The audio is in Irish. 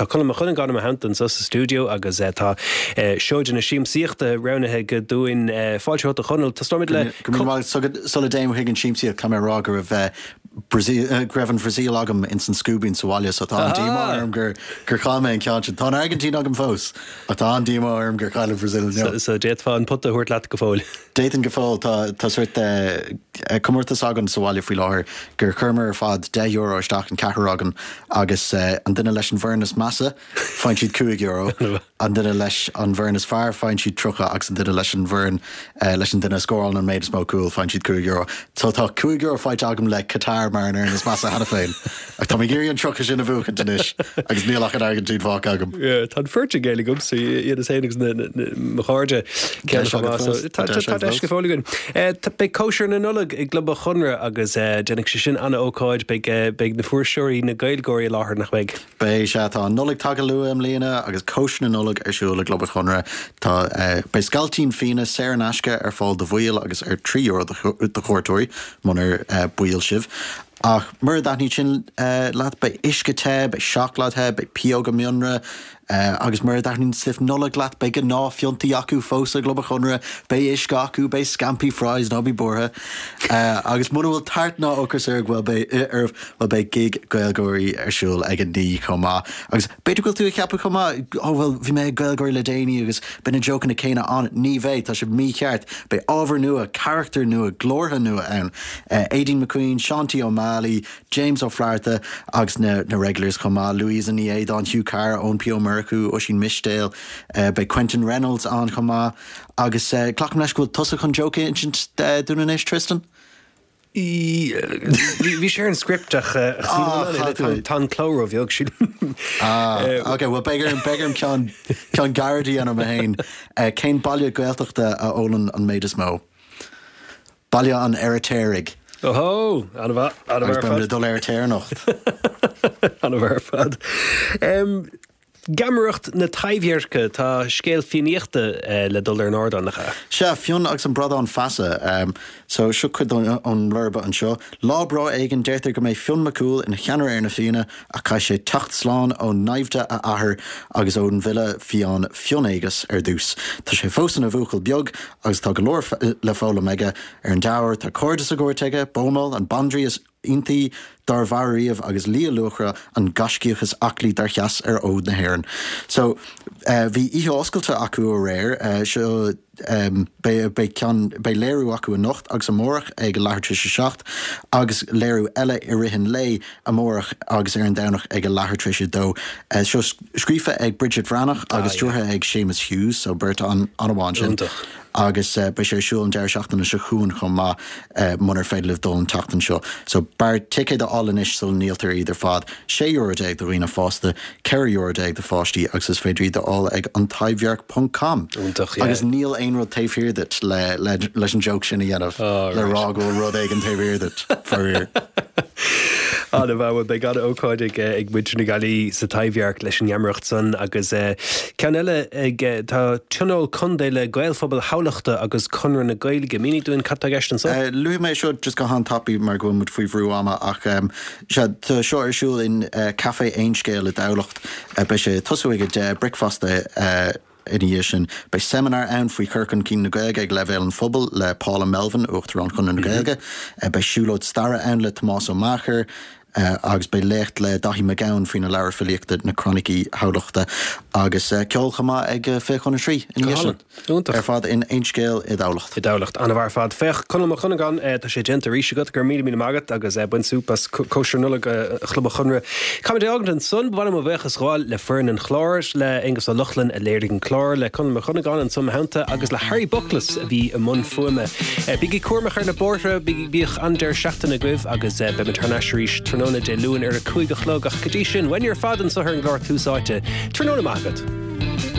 Tá Conall Mac Cuinneagáin i mo theannta anseo sa stiúideo agus tá seoid na siamsaíochta roghnaithe aige dúinn. Fáilte romhat a Chonaill. Tosnóimid le. Go raibh míle maith agat. Sula dtéim chuig an siamsaíocht, caithfidh mé a rá go raibh go raibh an Bhrasaíl agam ins an scuaibín sa bhaile so tá an-díomá orm gur gur chaill mé an ceann sin. Tá an Airgintín agam fós ach tá an-díomá orm gur chaill an Bhrasaíl inniu. So d'fhéadfá an pota a thabhairt leat go fóill. D'fhéadfainn go fóill. Tá tá sórt comórtas againn sa bhaile faoi láthair gur chuireamar ar fad €10 isteach, an ceathrar againn, agus an duine leis an bhfoireann is measa, faigheann siad €5, an duine leis an bhfoireann is fearr, faigheann siad 30 agus an duine leis an bhfoireann, leis an duine a scórálann an méid is mó cúl, faigheann siad €5. So tá €5 faighte agam le Qatar mar an fhoireann is measa cheana féin. Ach tá mé ag iarraidh an 30 sin a bhuachaint anois agus níl ach an Airgintín fágtha agam. Yeah, tá an Phortaingéil agamsa, iad is féin agus na, na, mo chairde. Deis agat fós. Tá tá deis go fóill againn. Beidh cóisir na Nollag i gClub an Chonradh agus déanfaidh sé sin an-ócáid. Beidh, beidh na fuirseoirí, na Gaeilgeoirí i láthair, nach mbeidh? Beidh, sea. Tá an Nollaig tagtha luath i mbliana agus cóisir na Nollag ar siúl i gClub an Chonradh. Tá, beidh scailtín fíona saor in aisce ar fáil do bhaill agus ar €3 do chuairteoirí, munar baill sibh. Ach mura dtaitníonn sin leat, beidh uisce te, beidh seacláid the, beidh pióga mianra, agus mura dtaitníonn stuif Nollag leat, beidh gnáthphiontaí acu fós i gClub an Chonradh, beidh uisce acu, beidh scampi fries, ná bí buartha. Agus muna bhfuil tart ná ocras oraibh, bhuel beidh, oraibh, bhuel beidh gig Gaeilgeoirí ar siúl ag a naoi chomh maith. Agus b'fhéidir go bhfuil tú ag ceapadh chomh maith, oh bhuel bhí mé ag Gaeilgeoirí le déanaí agus beidh na jócanna céanna ann. Ní bheidh, tá sibh mícheart. Beidh ábhar nua, carachtair nua, glórtha nua ann. Aideen McQueen, Seán T. Ó Málaí, James Ó Flatharta agus na na regulars chomh maith, Louisa Ní Éadáin, Hugh Carr, Eoin P. Ó Murchú, Oisín Mistéil, beidh Quentin Reynolds ann chomh maith. Agus glacaim leis go bhfuil tusa chun joke a insint dúinn anois, Tristan? Bhí sé ar an script ach tá an cló róbheag, sílim. Ah, ok, bhuel beidh orm, beidh orm ceann, ceann gairid a dhéanamh mé féin. Cén baile Gaeltachta a ólann an méid is mó? Baile an Fheiritéaraigh. Ohó! An-mhaith, an-mhaith ar fad. Agus beimid ag dul ar tear anocht. An-mhaith ar fad. Geamaireacht na Taibhdheirce, tá scéal Fiannaíochta le dul ar an ardán, nach ea? Sea, Fionn agus an Bradán Feasa. So, seo cuid ón mblurba anseo. Lá breá éigin, deirtear go mbeidh Fionn Mac Cumhaill ina cheannaire ar na Fianna, ach caithfidh sé teacht slán ó naimhde a athar agus ón bhfile fiáin Fionn Éigeas ar dtús. Tá sé fós ina bhuachaill beag agus tá go leor le foghlaim aige. Ar an dea-uair, tá cairde sa gcúirt aige, Bodhmall, an bandraoi is iontaí dár mhair riamh agus Liath Luachra, an gaiscíoch is aclaí dár sheas ar fhód na hÉireann. So, bhí oíche oscailte acu aréir, seo, beidh, beidh ceann, beidh léiriú acu anocht agus amárach ag a leathuair tar éis a 7 agus léiriú eile i rith an lae amárach agus ar an Domhnach ag a leathuair tar éis a 2. Seo scríofa ag Bridget Bhreathnach agus stiúrtha ag Séamus Hughes, so beirt an-mhaith ansin. Agus beidh sé ar siúl an deireadh seachtaine seo chugainn chomh maith, munar féidir libh dul an tseachtain seo. So b'fhearr ticéid a fháil anois sula ndíoltar iad ar fad. €16 do dhaoine fásta, €14 do pháistí agus is féidir iad a fháil ag antaibhdhearc ponc com. Iontach, yeah. Agus níl aon rud taobh thiar duit le, le, leis an joke sin a dhéanamh, le rá go bhfuil rud éigin taobh thiar duit, faraor. An-mhaith, bhuel beidh an-ócáid ag, ag muintir na Gaillimhe sa Taibhdhearc leis an ngeamaireacht san agus ceann eile ag, tá Tionól Contae le Gaelphobal Thamhlachta agus Conradh na Gaeilge. Mínigh dúinn cad tá i gceist anso? Luafaidh mé seo just go han-tapaidh mar go bhfuil muid faoi bhrú ama ach sea, tá seo ar siúl in Café Aon Scéal i dTamhlacht. Beidh sé ag tosú ag 10, bricfeasta Ina dhiaidh sin, beidh seimineár ann faoi chur chun cinn na Gaeilge ag leibhéal an phobail le Paula Melvin, Uachtarán Chonradh na Gaeilge. Beidh siúlóid staire ann le Tomás Ó Meachair agus beidh léacht le Daithí Mac Gabhann faoina leabhar filíochta Na Croinicí Thamhlachta agus ceol chomh maith ag 2:40 ina dhiaidh sin. Iontach. Ar fad in Aon Scéal i dTamhlacht. I dTamhlacht. An-mhaith ar fad. Féach, Conall Mac Cuinneagáin, tá sé déanta arís agat. Go raibh míle míle maith agat agus bain súp as cóisir Nollag Chlub an Chonradh. Caithfimid é a fhágaint ansan. Ba mhaith liom mo bhuíochas a ghabháil le foireann an chláir, le Aonghus Ó Lochlainn a léirigh an clár, le Conall Mac Cuinneagáin ansan i mo theannta agus le Harry Buckles a bhí i mbun fuaime. Bígí cúramach ar na bóithre, bíodh an-deireadh seachtaine agaibh agus beimid thar n-ais arís tráthnóna Dé Luain ar a 5 a chlog ach go dtí sin, uainne ar fad anso ar an gclár Tús Áite. Tráthnóna maith agat.